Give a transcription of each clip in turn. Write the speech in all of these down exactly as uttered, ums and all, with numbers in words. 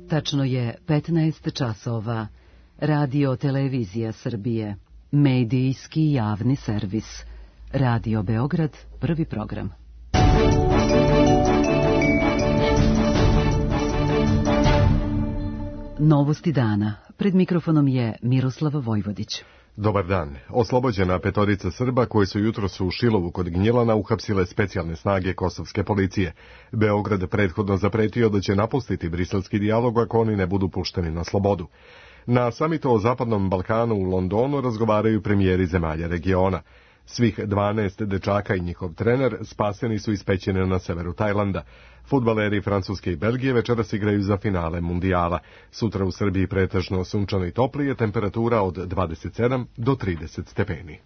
Tačno je petnaest časova. Radio Televizija Srbije. Medijski javni servis. Radio Beograd, prvi program. Novosti dana. Pred mikrofonom je Miroslava Vojvodić. Dobar dan. Oslobođena petorica Srba koji su jutros u Šilovu kod Gnjilana uhapsile specijalne snage kosovske policije. Beograd prethodno zapretio da će napustiti briselski dijalog ako oni ne budu pušteni na slobodu. Na samitu o Zapadnom Balkanu u Londonu razgovaraju premijeri zemalja regiona. Svih dvanaest dečaka i njihov trener spaseni su iz pećine na severu Tajlanda. Fudbaleri Francuske i Belgije večeras igraju za finale mundijala. Sutra u Srbiji pretežno sunčano i toplije, temperatura od dvadeset sedam do trideset stepeni.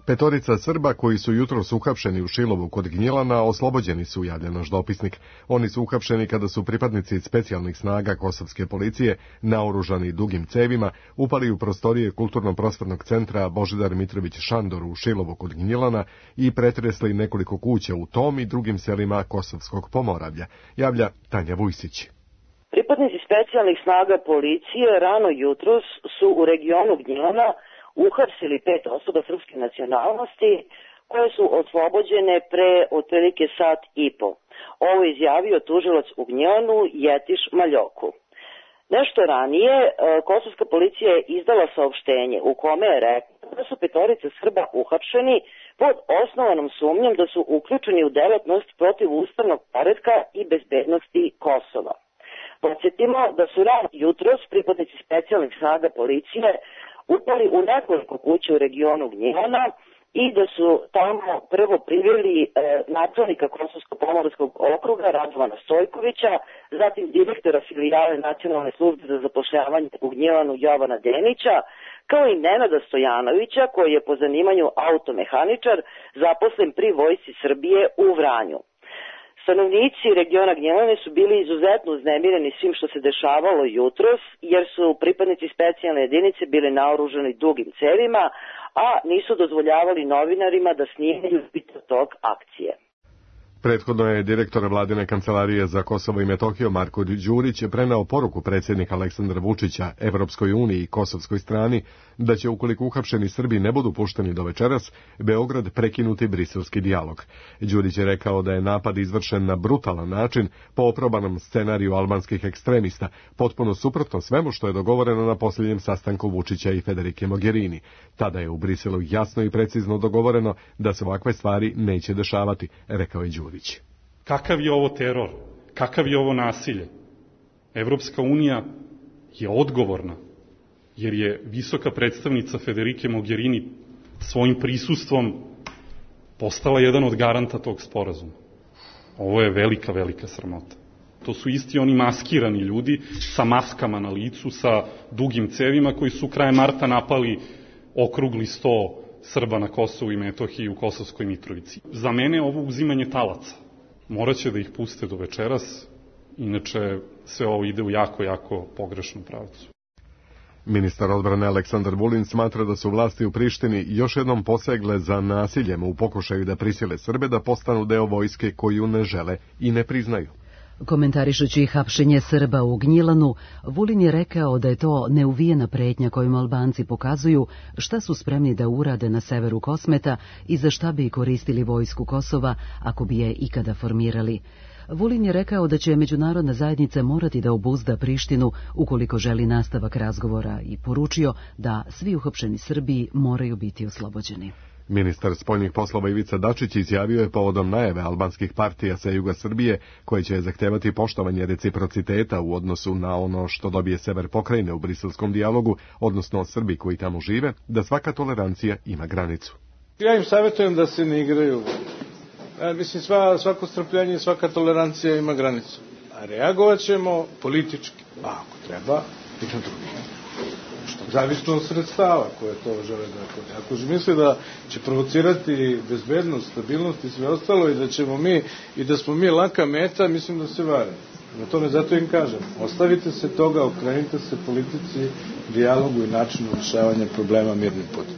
Petorica Srba koji su jutros uhapšeni u Šilovu kod Gnjilana oslobođeni su, javlja naš dopisnik. Oni su uhapšeni kada su pripadnici specijalnih snaga kosovske policije, naoružani dugim cevima, upali u prostorije Kulturno-prosvetnog centra Božidar Mitrović Šandor u Šilovu kod Gnjilana i pretresli nekoliko kuća u tom i drugim selima Kosovskog Pomoravlja, javlja Tanja Vujsić. Pripadnici specijalnih snaga policije rano jutros su u regionu Gnjilana uhapsili pet osoba srpske nacionalnosti koje su oslobođene pre otprilike sat i po. Ovo je izjavio tužilac u Gnjilanu Jetiš Maljoku. Nešto ranije kosovska policija je izdala saopštenje u kome je rekla da su petorice Srba uhapšeni pod osnovanom sumnjom da su uključeni u delatnost protiv ustavnog poretka i bezbednosti Kosova. Podsjetimo da su rano jutros pripadnici specijalnih snaga policije upali u nekoliko kuća u regionu Gnjilana i da su tamo prvo priveli e, načelnika Kosovsko-Pomorskog okruga Radovana Stojkovića, zatim direktora filijale Nacionalne službe za zapošljavanje u Gnjilanu Jovana Denića, kao i Nenada Stojanovića koji je po zanimanju automehaničar zaposlen pri Vojsci Srbije u Vranju. Stanovnici regiona Gnjilane su bili izuzetno uznemireni svim što se dešavalo jutros, jer su pripadnici specijalne jedinice bili naoružani dugim cevima, a nisu dozvoljavali novinarima da snimaju video tok akcije. Prethodno je direktor vladine kancelarije za Kosovo i Metohiju Marko Đurić preneo poruku predsjednika Aleksandra Vučića Evropskoj uniji i kosovskoj strani da će, ukoliko uhapšeni Srbi ne budu pušteni do večeras, Beograd prekinuti briselski dijalog. Đurić je rekao da je napad izvršen na brutalan način po oprobanom scenariju albanskih ekstremista, potpuno suprotno svemu što je dogovoreno na posljednjem sastanku Vučića i Federike Mogherini. Tada je u Briselu jasno i precizno dogovoreno da se ovakve stvari neće dešavati, rekao je Đurić. Kakav je ovo teror? Kakav je ovo nasilje? Evropska unija je odgovorna, jer je visoka predstavnica Federike Mogherini svojim prisustvom postala jedan od garanta tog sporazuma. Ovo je velika, velika sramota. To su isti oni maskirani ljudi sa maskama na licu, sa dugim cevima koji su krajem marta napali okrugli sto Srba na Kosovu i Metohiji u Kosovskoj Mitrovici. Za mene ovo uzimanje talaca. Moraće da ih puste do večeras, inače sve ovo ide u jako, jako pogrešnom pravcu. Ministar odbrane Aleksandar Vulin smatra da su vlasti u Prištini još jednom posegle za nasiljem u pokušaju da prisile Srbe da postanu deo vojske koju ne žele i ne priznaju. Komentarišući hapšenje Srba u Gnjilanu, Vulin je rekao da je to neuvijena pretnja kojom Albanci pokazuju šta su spremni da urade na severu Kosmeta i za šta bi koristili vojsku Kosova ako bi je ikada formirali. Vulin je rekao da će međunarodna zajednica morati da obuzda Prištinu ukoliko želi nastavak razgovora i poručio da svi uhapšeni Srbi moraju biti oslobođeni. Ministar spoljnih poslova Ivica Dačić izjavio je povodom najave albanskih partija sa juga Srbije koje će zahtevati poštovanje reciprociteta u odnosu na ono što dobije sever pokrajine u briselskom dijalogu, odnosno Srbi koji tamo žive, da svaka tolerancija ima granicu. Ja im savjetujem da se ne igraju. Ja, mislim, sva, svako strpljenje i svaka tolerancija ima granicu. A reagovat ćemo politički. Pa ako treba, i na drugi. Zavisno od sredstava koje to žele da koristi. Ako misle da će provocirati bezbednost, stabilnost i sve ostalo i da ćemo mi i da smo mi laka meta, mislim da se vare. Na tome zato im kažem, ostavite se toga, okrenite se politici, dijalogu i načinu rješavanja problema mirnim putem.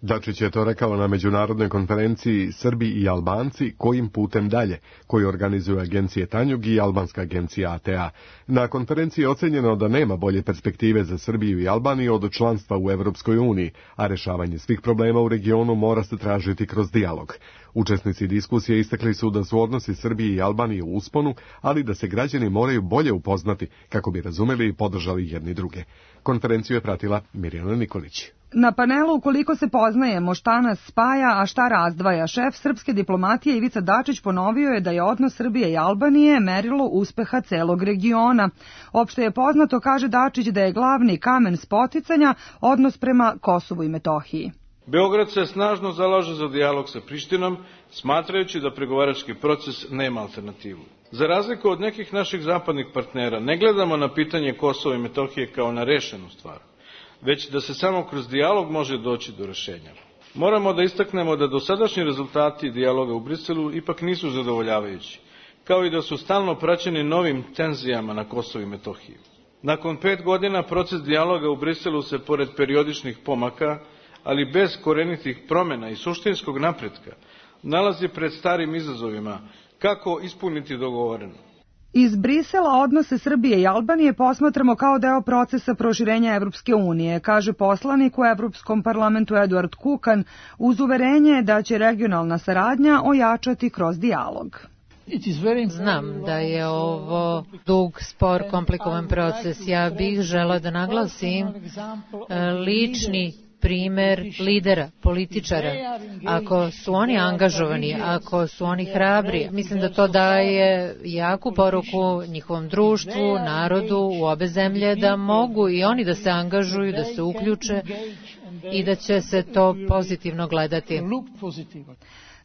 Dačić je to rekao na međunarodnoj konferenciji Srbi i Albanci kojim putem dalje, koju organizuju agencije Tanjug i albanska agencija A T A. Na konferenciji je ocenjeno da nema bolje perspektive za Srbiju i Albaniju od članstva u Evropskoj uniji, a rešavanje svih problema u regionu mora se tražiti kroz dijalog. Učesnici diskusije istakli su da su odnosi Srbije i Albanije u usponu, ali da se građani moraju bolje upoznati kako bi razumeli i podržali jedni druge. Konferenciju je pratila Mirjana Nikolić. Na panelu Koliko se poznajemo, šta nas spaja, a šta razdvaja, šef srpske diplomatije Ivica Dačić ponovio je da je odnos Srbije i Albanije merilo uspeha celog regiona. Opšte je poznato, kaže Dačić, da je glavni kamen spoticanja odnos prema Kosovu i Metohiji. Beograd se snažno zalaže za dijalog sa Prištinom, smatrajući da pregovarački proces nema alternativu. Za razliku od nekih naših zapadnih partnera, ne gledamo na pitanje Kosova i Metohije kao na rešenu stvar, već da se samo kroz dijalog može doći do rešenja. Moramo da istaknemo da dosadašnji rezultati dijaloga u Briselu ipak nisu zadovoljavajući, kao i da su stalno praćeni novim tenzijama na Kosovu i Metohiji. Nakon pet godina proces dijaloga u Briselu se, pored periodičnih pomaka, ali bez korenitih promjena i suštinskog napretka, nalazi pred starim izazovima kako ispuniti dogovoreno. Iz Brisela odnose Srbije i Albanije posmatramo kao deo procesa proširenja Evropske unije, kaže poslanik u Evropskom parlamentu Eduard Kukan, uz uverenje da će regionalna saradnja ojačati kroz dijalog. Znam da je ovo dug, spor, komplikovan proces. Ja bih žela da naglasim lični primer lidera, političara. Ako su oni angažovani, ako su oni hrabri, mislim da to daje jaku poruku njihovom društvu, narodu u obe zemlje, da mogu i oni da se angažuju, da se uključe i da će se to pozitivno gledati.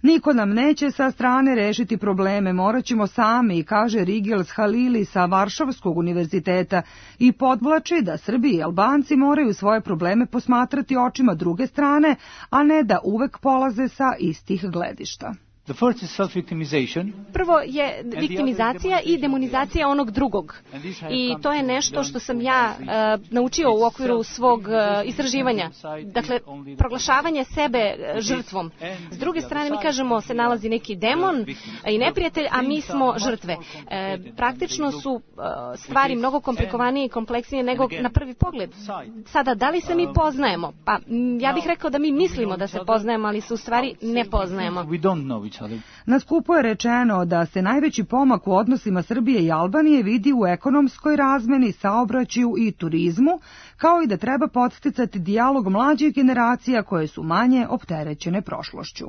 Niko nam neće sa strane rešiti probleme, morat ćemo sami, kaže Rigels Halili sa Varšavskog univerziteta i podvlači da Srbi i Albanci moraju svoje probleme posmatrati očima druge strane, a ne da uvek polaze sa istih gledišta. Prvo je viktimizacija i demonizacija onog drugog. I to je nešto što sam ja uh, naučio u okviru svog uh, istraživanja. Dakle, proglašavanje sebe žrtvom. S druge strane, mi kažemo se nalazi neki demon i neprijatelj, a mi smo žrtve. E, praktično su uh, stvari mnogo komplikovanije i kompleksnije nego na prvi pogled. Sada, da li se mi poznajemo? Pa, ja bih rekao da mi mislimo da se poznajemo, ali se u stvari ne poznajemo. Na skupu je rečeno da se najveći pomak u odnosima Srbije i Albanije vidi u ekonomskoj razmeni, saobraćaju i turizmu, kao i da treba podsticati dijalog mlađih generacija koje su manje opterećene prošlošću.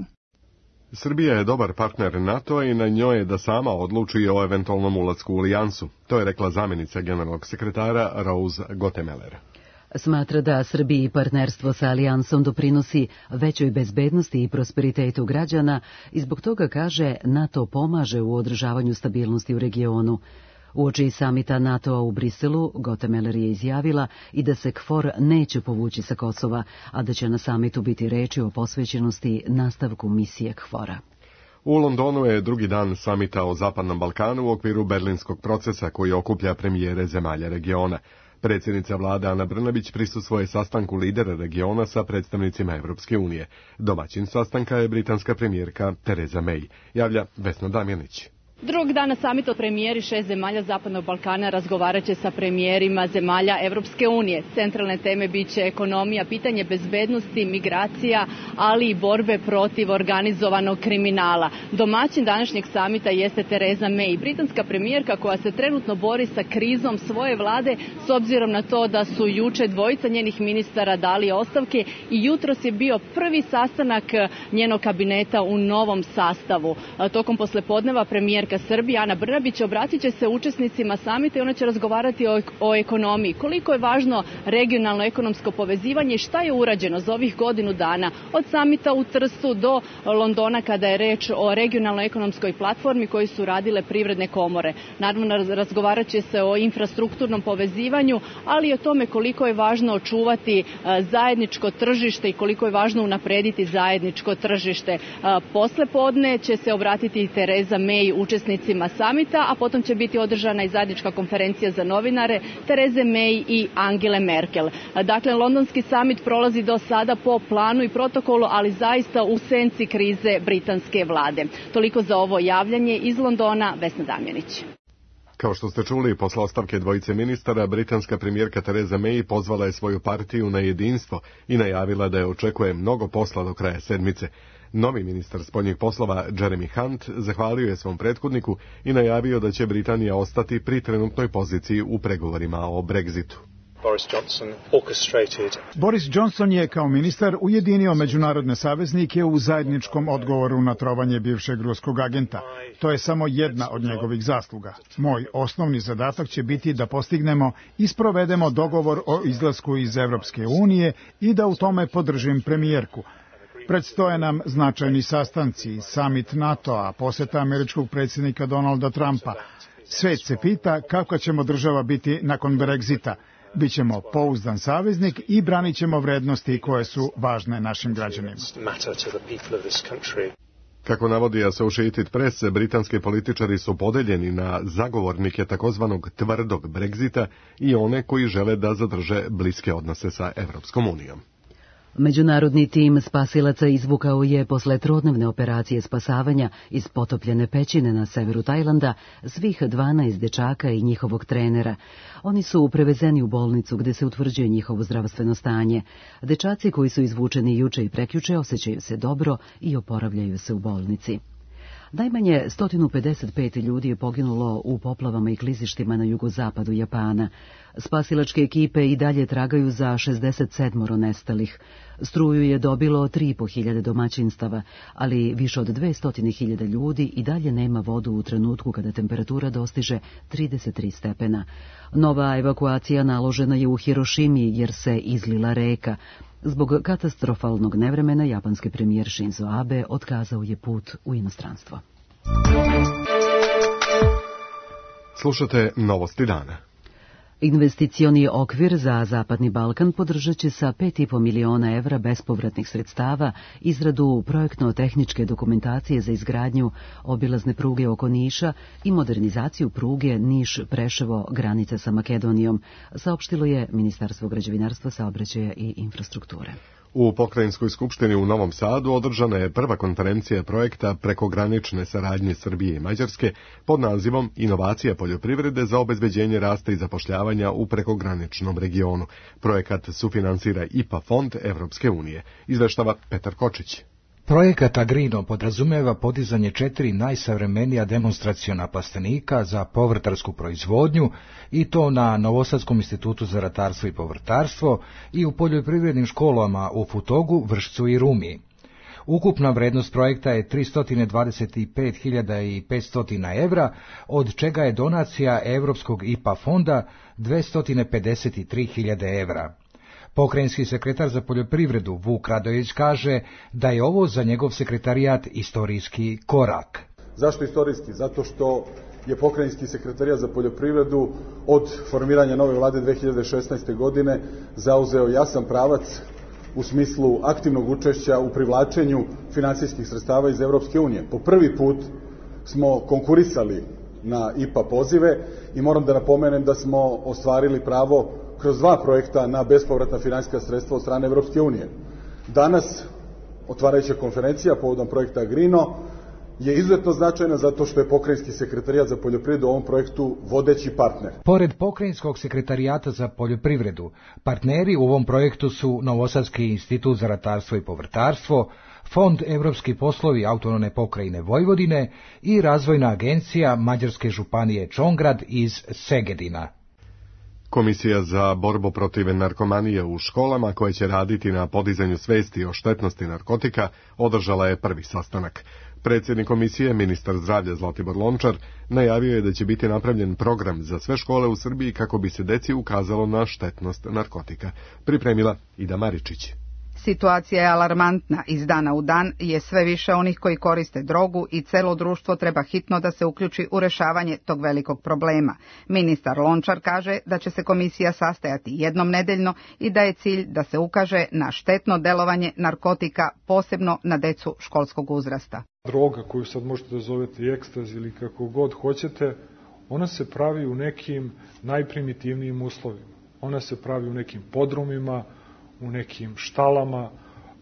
Srbija je dobar partner NATO-a i na njoj je da sama odluči o eventualnom ulasku u alijansu. To je rekla zamjenica generalnog sekretara Rose Gottemeller. Smatra da Srbiji partnerstvo sa alijansom doprinosi većoj bezbednosti i prosperitetu građana i zbog toga, kaže, NATO pomaže u održavanju stabilnosti u regionu. Uoči samita NATO-a u Briselu, Gottemeller je izjavila i da se KFOR neće povući sa Kosova, a da će na samitu biti reči o posvećenosti nastavku misije KFOR-a. U Londonu je drugi dan samita o Zapadnom Balkanu u okviru berlinskog procesa koji okuplja premijere zemalja regiona. Predsjednica vlade Ana Brnabić prisustvuje sastanku lidera regiona sa predstavnicima Evropske unije. Domaćin sastanka je britanska premijerka Tereza May, javlja Vesna Damjanić. Drugog dana samita premijeri šest zemalja Zapadnog Balkana razgovarat će sa premijerima zemalja Evropske unije. Centralne teme biće ekonomija, pitanje bezbednosti, migracija, ali i borbe protiv organizovanog kriminala. Domaćin današnjeg samita jeste Tereza May, britanska premijerka koja se trenutno bori sa krizom svoje vlade s obzirom na to da su juče dvojica njenih ministara dali ostavke i jutros je bio prvi sastanak njenog kabineta u novom sastavu. Tokom poslepodneva premijerka Srbije Ana Brnabić obratit će se učesnicima samita i ona će razgovarati o, o ekonomiji. Koliko je važno regionalno ekonomsko povezivanje i šta je urađeno za ovih godinu dana od samita u Trstu do Londona kada je reč o regionalnoj ekonomskoj platformi koju su radile privredne komore. Naravno, razgovarat će se o infrastrukturnom povezivanju, ali i o tome koliko je važno očuvati zajedničko tržište i koliko je važno unaprediti zajedničko tržište. Posle podne će se obratiti Tereza May učesnicima učesnicima samita, a potom će biti održana i zajednička konferencija za novinare Tereze May i Angele Merkel. Dakle, londonski samit prolazi do sada po planu i protokolu, ali zaista u senci krize britanske vlade. Toliko za ovo javljanje iz Londona, Vesna Damjanić. Kao što ste čuli, posle ostavke dvojice ministara, britanska premijerka Tereza May pozvala je svoju partiju na jedinstvo i najavila da je očekuje mnogo posla do kraja sedmice. Novi ministar spoljnih poslova Jeremy Hunt zahvalio je svom prethodniku i najavio da će Britanija ostati pri trenutnoj poziciji u pregovorima o Brexitu. Boris Johnson orchestrated. Boris Johnson je kao ministar ujedinio međunarodne saveznike u zajedničkom odgovoru na trovanje bivšeg ruskog agenta. To je samo jedna od njegovih zasluga. Moj osnovni zadatak će biti da postignemo i sprovedemo dogovor o izlasku iz Evropske unije i da u tome podržim premijerku. Predstoje nam značajni sastanci, summit NATO-a, poseta američkog predsjednika Donalda Trumpa. Svet se pita kako ćemo država biti nakon Brexita. Bićemo pouzdan saveznik i branit ćemo vrednosti koje su važne našim građanima. Kako navodi Associated Press, britanski političari su podeljeni na zagovornike takozvanog tvrdog Brexita i one koji žele da zadrže bliske odnose sa Evropskom unijom. Međunarodni tim spasilaca izvukao je posle trodnevne operacije spasavanja iz potopljene pećine na severu Tajlanda svih dvanaest dečaka i njihovog trenera. Oni su prevezeni u bolnicu gde se utvrđuje njihovo zdravstveno stanje. Dečaci koji su izvučeni juče i prekjuče osjećaju se dobro i oporavljaju se u bolnici. Najmanje sto pedeset pet ljudi je poginulo u poplavama i klizištima na jugozapadu Japana. Spasilačke ekipe i dalje tragaju za šezdeset sedam nestalih. Struju je dobilo tri i po hiljade domaćinstava, ali više od dvesta hiljada ljudi i dalje nema vodu u trenutku kada temperatura dostiže trideset tri stepena. Nova evakuacija naložena je u Hirošimi jer se izlila reka. Zbog katastrofalnog nevremena japanski premijer Shinzo Abe otkazao je put u inostranstvo. Slušate Novosti dana. Investicioni okvir za Zapadni Balkan podržat će sa pet i po miliona evra bespovratnih sredstava izradu projektno-tehničke dokumentacije za izgradnju obilazne pruge oko Niša i modernizaciju pruge Niš-Preševo granica sa Makedonijom, saopštilo je Ministarstvo građevinarstva, saobraćaja i infrastrukture. U Pokrajinskoj skupštini u Novom Sadu održana je prva konferencija projekta prekogranične saradnje Srbije i Mađarske pod nazivom Inovacija poljoprivrede za obezbeđenje rasta i zapošljavanja u prekograničnom regionu. Projekat sufinansira I P A fond Evropske unije. Izveštava Petar Kočić. Projekat Agrino podrazumeva podizanje četiri najsavremenija demonstraciona plastenika za povrtarsku proizvodnju i to na Novosadskom institutu za ratarstvo i povrtarstvo i u poljoprivrednim školama u Futogu, Vršcu i Rumi. Ukupna vrednost projekta je tristo dvadeset pet hiljada petsto evra, od čega je donacija Evropskog I P A fonda dvesta pedeset tri hiljade evra. Pokrajinski sekretar za poljoprivredu Vuk Radojević kaže da je ovo za njegov sekretarijat istorijski korak. Zašto istorijski? Zato što je Pokrajinski sekretarijat za poljoprivredu od formiranja nove vlade dve hiljade šesnaeste. godine zauzeo jasan pravac u smislu aktivnog učešća u privlačenju finansijskih sredstava iz Evropske unije. Po prvi put smo konkurisali na I P A pozive i moram da napomenem da smo ostvarili pravo kroz dva projekta na bespovratna finansijska sredstva od strane Evropske unije. Danas, otvarajuća konferencija povodom projekta Agrino je izuzetno značajna zato što je Pokrajinski sekretarijat za poljoprivredu u ovom projektu vodeći partner. Pored Pokrajinskog sekretarijata za poljoprivredu, partneri u ovom projektu su Novosadski institut za ratarstvo i povrtarstvo, Fond Evropski poslovi autonomne pokrajine Vojvodine i Razvojna agencija Mađarske županije Čongrad iz Segedina. Komisija za borbu protiv narkomanije u školama, koja će raditi na podizanju svesti o štetnosti narkotika, održala je prvi sastanak. Predsjednik komisije, ministar zdravlja Zlatibor Lončar, najavio je da će biti napravljen program za sve škole u Srbiji kako bi se deci ukazalo na štetnost narkotika. Pripremila Ida Maričić. Situacija je alarmantna, iz dana u dan je sve više onih koji koriste drogu i celo društvo treba hitno da se uključi u rešavanje tog velikog problema. Ministar Lončar kaže da će se komisija sastajati jednom nedeljno i da je cilj da se ukaže na štetno delovanje narkotika, posebno na decu školskog uzrasta. Droga koju sad možete da zovete ekstaz ili kako god hoćete, ona se pravi u nekim najprimitivnijim uslovima. Ona se pravi u nekim podrumima, u nekim štalama.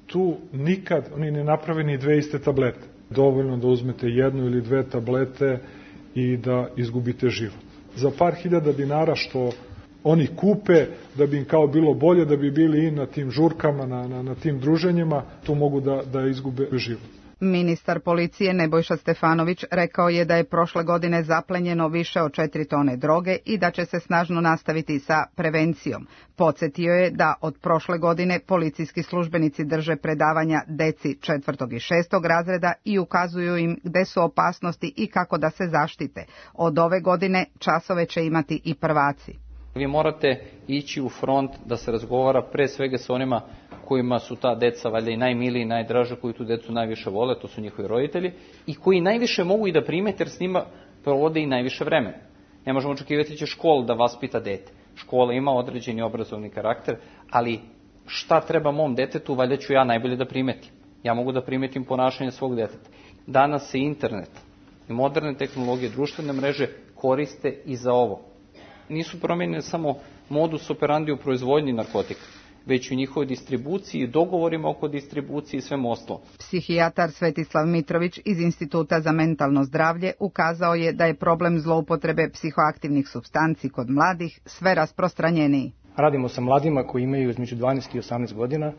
Tu nikad oni ne naprave ni dve iste tablete. Dovoljno da uzmete jednu ili dve tablete i da izgubite život. Za par hiljada dinara što oni kupe, da bi im kao bilo bolje, da bi bili i na tim žurkama, na, na, na tim druženjima, tu mogu da, da izgube život. Ministar policije Nebojša Stefanović rekao je da je prošle godine zaplenjeno više od četiri tone droge i da će se snažno nastaviti sa prevencijom. Podsjetio je da od prošle godine policijski službenici drže predavanja deci četvrtog i šestog razreda i ukazuju im gde su opasnosti i kako da se zaštite. Od ove godine časove će imati i prvaci. Vi morate ići u front da se razgovara pre svega sa onima kojima su ta deca valjda i najmiliji i najdraža, koji tu decu najviše vole, to su njihovi roditelji, i koji najviše mogu i da primete jer s njima provode i najviše vremena. Ne možemo očekivati da će škola da vaspita dete. Škola ima određeni obrazovni karakter, ali šta treba mom detetu, valjda ću ja najbolje da primetim. Ja mogu da primetim ponašanje svog deteta. Danas se internet i moderne tehnologije, društvene mreže koriste i za ovo. Nisu promenjene samo modus operandi u proizvodnji narkotika, već u njihovoj distribuciji, dogovorima oko distribucije i svemu ostalo. Psihijatar Svetislav Mitrović iz Instituta za mentalno zdravlje ukazao je da je problem zloupotrebe psihoaktivnih supstanci kod mladih sve rasprostranjeniji. Radimo sa mladima koji imaju između dvanaest i osamnaest godina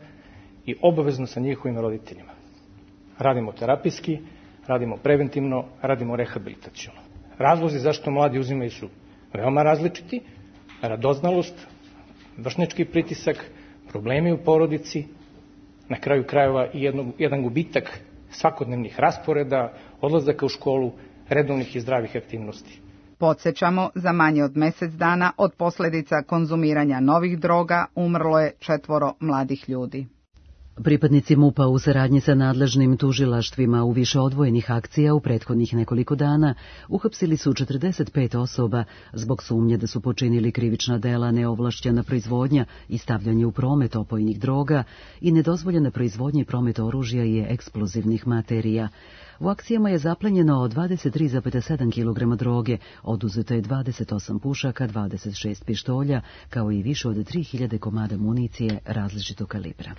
i obavezno sa njihovim roditeljima. Radimo terapijski, radimo preventivno, radimo rehabilitaciono. Razlozi zašto mladi uzimaju su veoma različiti: radoznalost, vršnjački pritisak, problemi u porodici, na kraju krajeva i jedno, jedan gubitak svakodnevnih rasporeda, odlazaka u školu, redovnih i zdravih aktivnosti. Podsjećamo, za manje od mjesec dana od posljedica konzumiranja novih droga umrlo je četvoro mladih ljudi. Pripadnici MUP-a u saradnji sa nadležnim tužilaštvima u više odvojenih akcija u prethodnih nekoliko dana uhapsili su četrdeset pet osoba zbog sumnje da su počinili krivična dela neovlašćena proizvodnja i stavljanje u promet opojnih droga i nedozvoljena proizvodnja i promet oružja i eksplozivnih materija. U akcijama je zaplenjeno dvadeset tri zarez sedam kilograma droge, oduzeto je dvadeset osam pušaka, dvadeset šest pištolja, kao i više od tri hiljade komada municije različitog kalibra.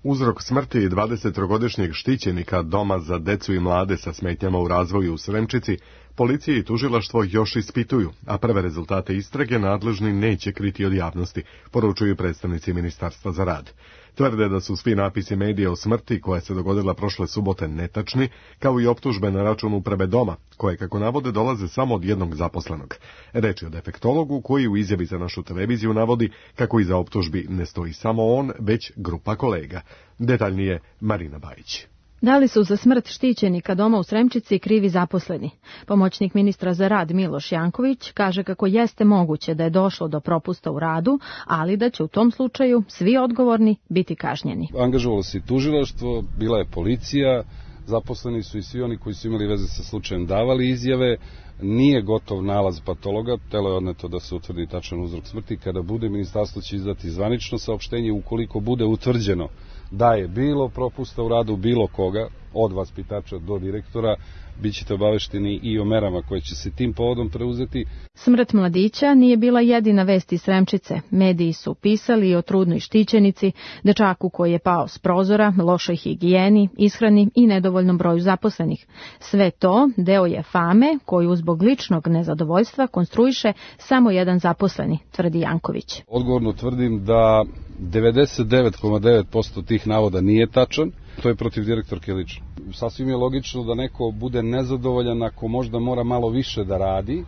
Uzrok smrti dvadesettrogodišnjeg štićenika Doma za decu i mlade sa smetnjama u razvoju u Sremčici policija i tužilaštvo još ispituju, a prve rezultate istrage nadležni neće kriti od javnosti, poručuju predstavnici Ministarstva za rad. Tvrde da su svi napisi medija o smrti koja se dogodila prošle subote netačni, kao i optužbe na račun uprave Doma, koje, kako navode, dolaze samo od jednog zaposlenog. Reč je o defektologu koji u izjavi za našu televiziju navodi kako iza optužbi ne stoji samo on, već grupa kolega. Detaljnije Marina Bajić. Da li su za smrt štićenika Doma u Sremčici krivi zaposleni? Pomoćnik ministra za rad Miloš Janković kaže kako jeste moguće da je došlo do propusta u radu, ali da će u tom slučaju svi odgovorni biti kažnjeni. Angažovalo se i tužilaštvo, bila je policija, zaposleni su i svi oni koji su imali veze sa slučajem davali izjave. Nije gotov nalaz patologa, telo je odneto da se utvrdi tačan uzrok smrti. Kada bude, ministarstvo će izdati zvanično saopštenje. Ukoliko bude utvrđeno da je bilo propusta u radu bilo koga, od vaspitača do direktora, bit ćete obavešteni i o merama koje će se tim povodom preuzeti. Smrt mladića nije bila jedina vest iz Sremčice. Mediji su pisali o trudnoj štićenici, dečaku koji je pao s prozora, lošoj higijeni, ishrani i nedovoljnom broju zaposlenih. Sve to deo je fame koju zbog ličnog nezadovoljstva konstruiše samo jedan zaposleni, tvrdi Janković. Odgovorno tvrdim da devedeset devet zarez devet posto tih navoda nije tačan. To je protiv direktorke lično. Sasvim je logično da neko bude nezadovoljan ako možda mora malo više da radi,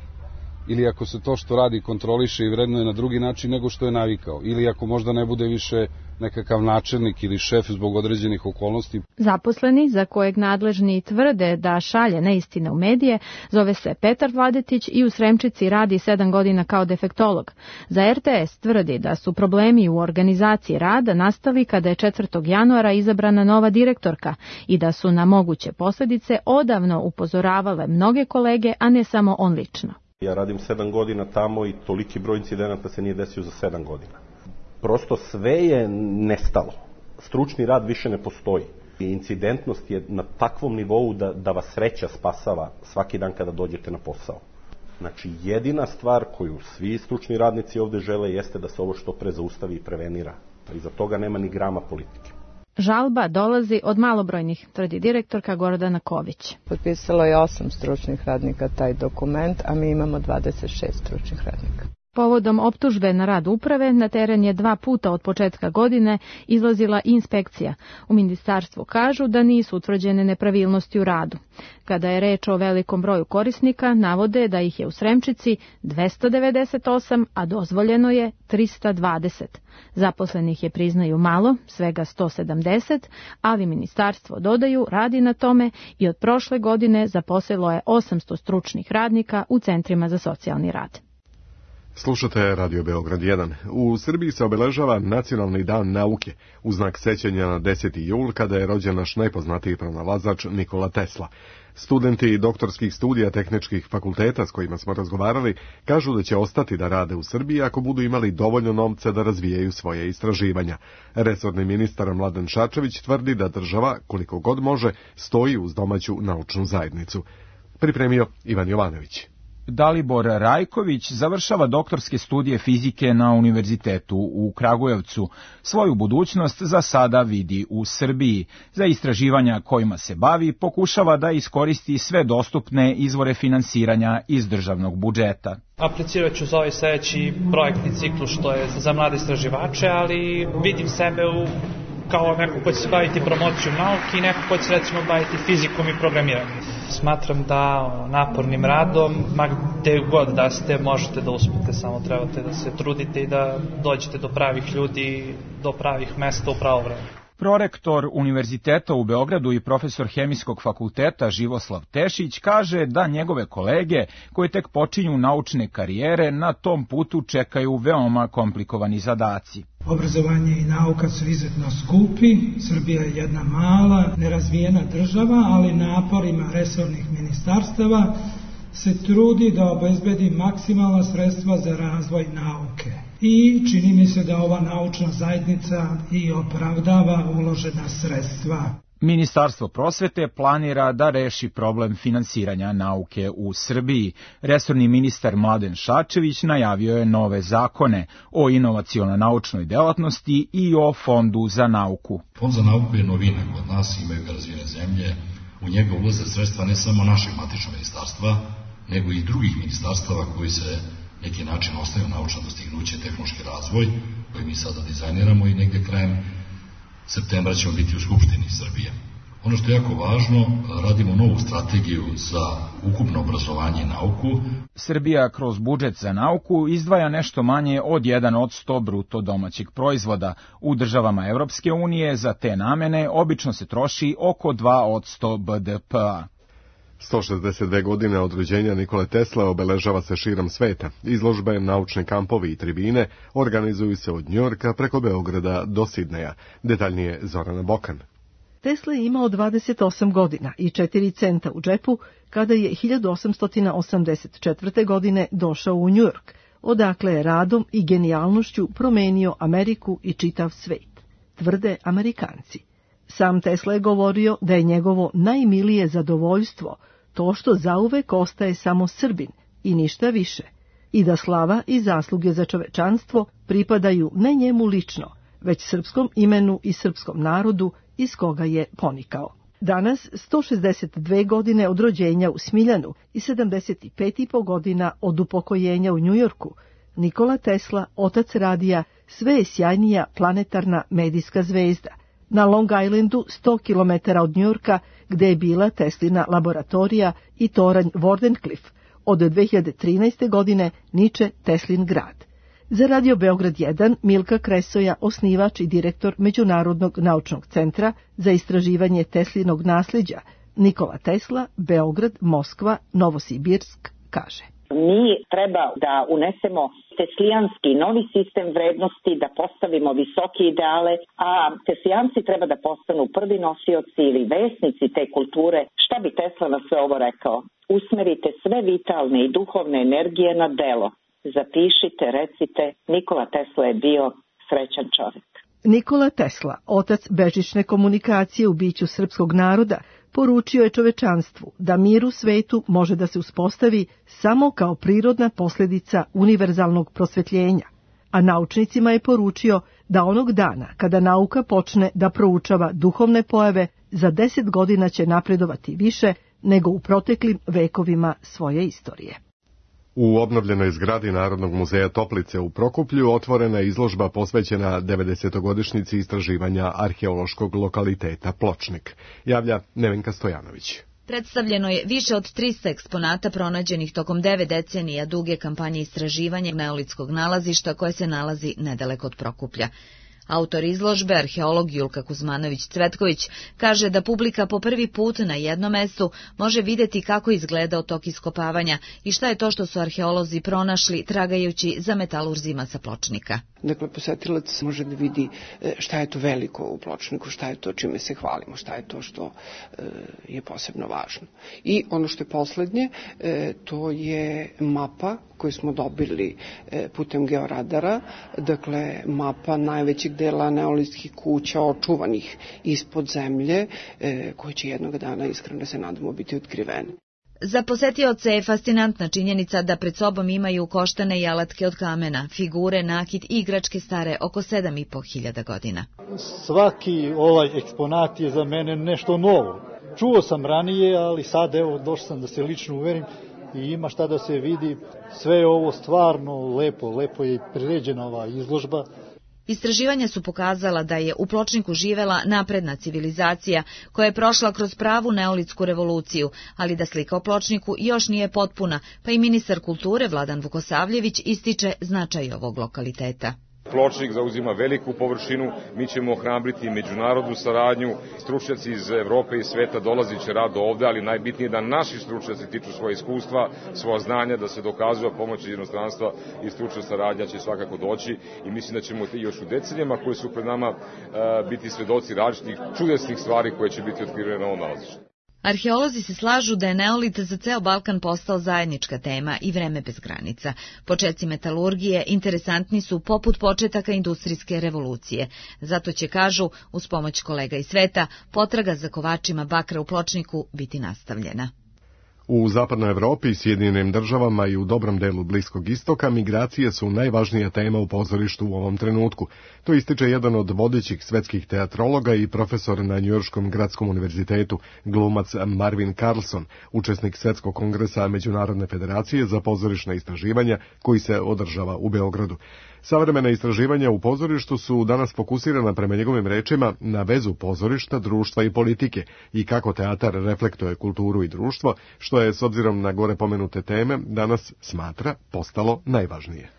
ili ako se to što radi kontroliše i vrednuje na drugi način nego što je navikao, ili ako možda ne bude više nekakav načelnik ili šef zbog određenih okolnosti. Zaposleni, za kojeg nadležni tvrde da šalje neistine u medije, zove se Petar Vladetić i u Sremčici radi sedam godina kao defektolog. Za R T S tvrdi da su problemi u organizaciji rada nastali kada je četvrtog januara izabrana nova direktorka i da su na moguće posljedice odavno upozoravale mnoge kolege, a ne samo on lično. Ja radim sedam godina tamo i toliki broj incidenata se nije desio za sedam godina. Prosto sve je nestalo. Stručni rad više ne postoji. Incidentnost je na takvom nivou da, da vas sreća spasava svaki dan kada dođete na posao. Znači, jedina stvar koju svi stručni radnici ovde žele jeste da se ovo što pre zaustavi i prevenira. A iza toga nema ni grama politike. Žalba dolazi od malobrojnih, tvrdi direktorka Gordana Ković. Potpisalo je osam stručnih radnika taj dokument, a mi imamo dvadeset šest stručnih radnika. Povodom optužbe na rad uprave, na teren je dva puta od početka godine izlazila inspekcija. U ministarstvu kažu da nisu utvrđene nepravilnosti u radu. Kada je reč o velikom broju korisnika, navode da ih je u Sremčici dvesta devedeset osam, a dozvoljeno je trista dvadeset. Zaposlenih je, priznaju, malo, svega sto sedamdeset, ali ministarstvo, dodaju, radi na tome i od prošle godine zaposlilo je osamsto stručnih radnika u centrima za socijalni rad. Slušate Radio Beograd jedan. U Srbiji se obeležava Nacionalni dan nauke, u znak sećanja na deseti jul, kada je rođen naš najpoznatiji pronalazač Nikola Tesla. Studenti doktorskih studija tehničkih fakulteta s kojima smo razgovarali kažu da će ostati da rade u Srbiji ako budu imali dovoljno novca da razvijaju svoje istraživanja. Resorni ministar Mladen Šarčević tvrdi da država, koliko god može, stoji uz domaću naučnu zajednicu. Pripremio Ivan Jovanović. Dalibor Rajković završava doktorske studije fizike na Univerzitetu u Kragujevcu. Svoju budućnost za sada vidi u Srbiji. Za istraživanja kojima se bavi pokušava da iskoristi sve dostupne izvore finansiranja iz državnog budžeta. Aplicirat ću za ovaj sledeći projektni ciklus što je za mlade istraživače, ali vidim sebe u kao neko ko će se baviti promocijom nauke i neko ko će se recimo baviti fizikom i programiranjem. Smatram da napornim radom, ma gde god da ste, možete da uspete, samo trebate da se trudite i da dođete do pravih ljudi, do pravih mesta u pravo vreme. Prorektor Univerziteta u Beogradu i profesor Hemijskog fakulteta Živoslav Tešić kaže da njegove kolege koji tek počinju naučne karijere na tom putu čekaju veoma komplikovani zadaci. Obrazovanje i nauka su izuzetno skupi, Srbija je jedna mala, nerazvijena država, ali naporima resornih ministarstava se trudi da obezbedi maksimalna sredstva za razvoj nauke. I čini mi se da ova naučna zajednica i opravdava uložena sredstva. Ministarstvo prosvete planira da reši problem finansiranja nauke u Srbiji. Resorni ministar Mladen Šarčević najavio je nove zakone o inovaciono-naučnoj delatnosti i o Fondu za nauku. Fond za nauku je novina kod nas, imaju ga razvijene zemlje. U njega ulaze sredstva ne samo našeg matičnog ministarstva, nego i drugih ministarstava koji se neki način ostaju naučna dostignuće, tehnološki razvoj, koji mi sada dizajniramo i negde krajem septembra ćemo biti u Skupštini Srbije. Ono što je jako važno, radimo novu strategiju za ukupno obrazovanje i nauku. Srbija kroz budžet za nauku izdvaja nešto manje od jedan od sto bruto domaćeg proizvoda. U državama Evropske unije za te namene obično se troši oko dva od sto B D P-a. sto šezdeset dve godine od rođenja Nikole Tesla obeležava se širom sveta. Izložbe, naučni kampovi i tribine organizuju se od Njujorka preko Beograda do Sidneja. Detaljnije Zorana Bokan. Tesla je imao dvadeset osam godina i četiri centa u džepu kada je hiljadu osamsto osamdeset četvrte. godine došao u Njujork, odakle je radom i genijalnošću promenio Ameriku i čitav svet, tvrde Amerikanci. Sam Tesla je govorio da je njegovo najmilije zadovoljstvo to što zauvek ostaje samo Srbin i ništa više, i da slava i zasluge za čovečanstvo pripadaju ne njemu lično, već srpskom imenu i srpskom narodu iz koga je ponikao. Danas, sto šezdeset dve godine od rođenja u Smiljanu i sedamdeset pet i po godina od upokojenja u Njujorku, Nikola Tesla, otac radija, sve je sjajnija planetarna medijska zvezda. Na Long Islandu, sto kilometara od Njujorka, gde je bila Teslina laboratorija i toranj Wardenclyffe, od dve hiljade trinaeste. godine niče Teslin grad. Za Radio Beograd jedan, Milka Kresoja, osnivač i direktor Međunarodnog naučnog centra za istraživanje Teslinog nasljeđa, Nikola Tesla, Beograd, Moskva, Novosibirsk, kaže. Mi treba da unesemo teslijanski novi sistem vrednosti, da postavimo visoke ideale, a teslijanci treba da postanu prvi nosioci ili vesnici te kulture. Šta bi Tesla na sve ovo rekao? Usmerite sve vitalne i duhovne energije na delo. Zapišite, recite, Nikola Tesla je bio srećan čovjek. Nikola Tesla, otac bežične komunikacije u biću srpskog naroda, poručio je čovečanstvu da mir u svetu može da se uspostavi samo kao prirodna posljedica univerzalnog prosvetljenja, a naučnicima je poručio da onog dana kada nauka počne da proučava duhovne pojave, za deset godina će napredovati više nego u proteklim vekovima svoje istorije. U obnovljenoj zgradi Narodnog muzeja Toplice u Prokuplju otvorena je izložba posvećena devedesetogodišnjici istraživanja arheološkog lokaliteta Pločnik, javlja Nevenka Stojanović. Predstavljeno je više od trista eksponata pronađenih tokom devet decenija duge kampanje istraživanja neolitskog nalazišta koje se nalazi nedaleko od Prokuplja. Autor izložbe, arheolog Julka Kuzmanović-Cvetković, kaže da publika po prvi put na jednom mestu može vidjeti kako izgledao tok iskopavanja i šta je to što su arheolozi pronašli tragajući za metalurzima sa Pločnika. Dakle, posetilac može da vidi šta je to veliko u Pločniku, šta je to čime se hvalimo, šta je to što je posebno važno. I ono što je poslednje, to je mapa koju smo dobili putem georadara, dakle mapa najvećeg dela neolitskih kuća očuvanih ispod zemlje, koji će jednog dana, iskreno se nadamo, biti otkriveni. Za posetioce je fascinantna činjenica da pred sobom imaju koštane i alatke od kamena, figure, nakit i igračke stare oko sedam i po hiljada godina. Svaki ovaj eksponat je za mene nešto novo. Čuo sam ranije, ali sad evo došao sam da se lično uverim i ima šta da se vidi. Sve je ovo stvarno lepo, lepo je priređena ova izložba. Istraživanja su pokazala da je u Pločniku živela napredna civilizacija koja je prošla kroz pravu neolitsku revoluciju, ali da slika o Pločniku još nije potpuna, pa i ministar kulture Vladan Vukosavljević ističe značaj ovog lokaliteta. Pločnik zauzima veliku površinu, mi ćemo ohrabriti međunarodnu saradnju, stručnjaci iz Evrope i sveta dolaziće rado ovde, ali najbitnije je da naši stručnjaci tiču svoje iskustva, svoja znanja, da se dokazuje pomoći inostranstva i stručna saradnja će svakako doći i mislim da ćemo još u decenijama koje su pred nama biti svedoci različitih čudesnih stvari koje će biti otkrivene na ovom nalazištu. Arheolozi se slažu da je neolit za ceo Balkan postao zajednička tema i vreme bez granica. Počeci metalurgije interesantni su poput početaka industrijske revolucije. Zato će, kažu, uz pomoć kolega iz sveta, potraga za kovačima bakra u Pločniku biti nastavljena. U zapadnoj Evropi, Sjedinjenim državama i u dobrom delu Bliskog istoka migracije su najvažnija tema u pozorištu u ovom trenutku. To ističe jedan od vodećih svetskih teatrologa i profesor na Njujorškom gradskom univerzitetu, glumac Marvin Carlson, učesnik Svetskog kongresa Međunarodne federacije za pozorišna istraživanja koji se održava u Beogradu. Savremena istraživanja u pozorištu su danas fokusirana, prema njegovim rečima, na vezu pozorišta, društva i politike i kako teatar reflektuje kulturu i društvo, što je, s obzirom na gore pomenute teme, danas smatra postalo najvažnije.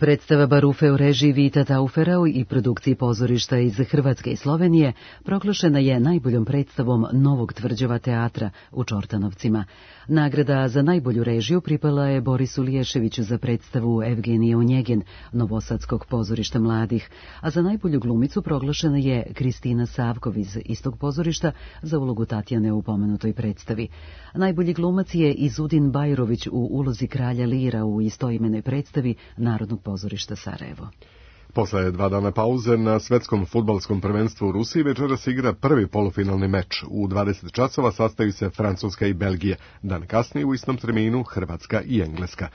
Predstava Barufe u režiji Vita Tauferau i produkciji pozorišta iz Hrvatske i Slovenije proglašena je najboljom predstavom Novog tvrđava teatra u Čortanovcima. Nagrada za najbolju režiju pripala je Borisu Liješeviću za predstavu Evgenije Onjegin, Novosadskog pozorišta mladih, a za najbolju glumicu proglašena je Kristina Savkov iz istog pozorišta za ulogu Tatjane u pomenutoj predstavi. Najbolji glumac je Izudin Bajrović u ulozi kralja Lira u istoimenoj predstavi Narodnog pozorišta Sarajevo. Posle dva dana pauze na svetskom fudbalskom prvenstvu u Rusiji večeras igra prvi polufinalni meč. U dvadeset časova sastaju se Francuska i Belgija. Dan kasnije u istom terminu Hrvatska i Engleska.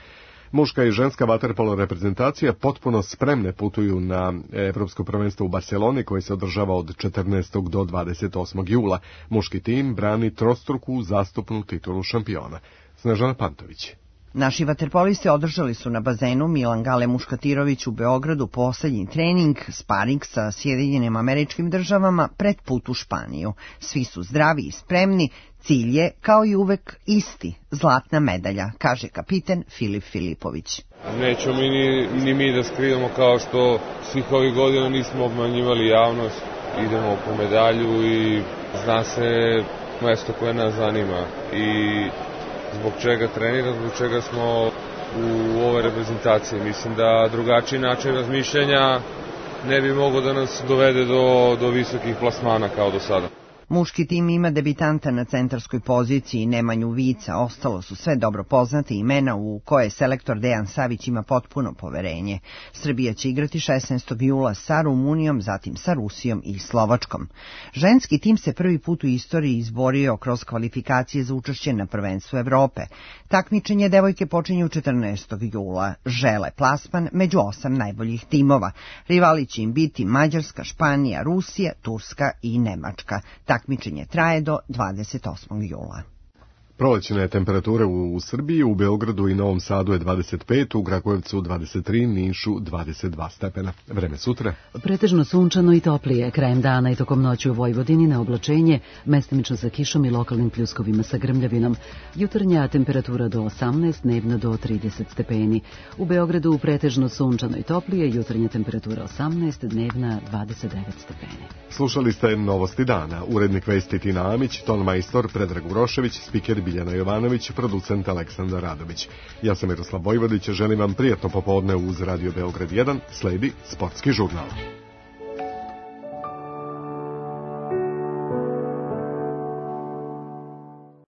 Muška i ženska vaterpolo reprezentacija potpuno spremne putuju na Evropsko prvenstvo u Barceloni koje se održava od četrnaestog do dvadeset osmog jula. Muški tim brani trostruku zastupnu titulu šampiona. Snežana Pantović. Naši vaterpolisti održali su na bazenu Milan Gale Muškatirović u Beogradu poslednji trening, sparing sa Sjedinjenim Američkim Državama pred put u Španiju. Svi su zdravi i spremni, cilj je, kao i uvek, isti, zlatna medalja, kaže kapiten Filip Filipović. Nećemo mi ni, ni mi da skrivamo kao što svih ovih godina nismo obmanjivali javnost. Idemo po medalju i zna se mesto koje nas zanima i zbog čega treniramo, zbog čega smo u ovoj reprezentaciji. Mislim da drugačiji način razmišljanja ne bi mogao da nas dovede do, do visokih plasmana kao do sada. Muški tim ima debitanta na centarskoj poziciji Nemanju Vica, ostalo su sve dobro poznate imena u koje selektor Dejan Savić ima potpuno poverenje. Srbija će igrati šesnaestog jula sa Rumunijom, zatim sa Rusijom i Slovačkom. Ženski tim se prvi put u istoriji izborio kroz kvalifikacije za učešće na prvenstvu Evrope. Takmičenje devojke počinje četrnaestog jula. Žele plasman među osam najboljih timova. Rivali će im biti Mađarska, Španija, Rusija, Turska i Nemačka. Takmičenje traje do dvadeset osmog jula. Prolećne temperature u Srbiji, u Beogradu i Novom Sadu je dvadeset pet, u Kragujevcu dvadeset tri, Nišu dvadeset dva stepena. Vreme sutra. Pretežno sunčano i toplije, krajem dana i tokom noći u Vojvodini na oblačenje, mestimično sa kišom i lokalnim pljuskovima sa grmljavinom. Jutarnja temperatura do osamnaest, dnevna do trideset stepeni. U Beogradu pretežno sunčano i toplije, jutarnja temperatura osamnaest, dnevna dvadeset devet stepeni. Slušali ste Novosti dana, urednik vesti Tina Amić, ton majstor Predrag Urošević, spiker Biljana Jovanović, producent Aleksandar Radović. Ja sam Miroslav Vojvodić, želim vam prijatno popodne uz Radio Beograd jedan, sledi Sportski žurnal.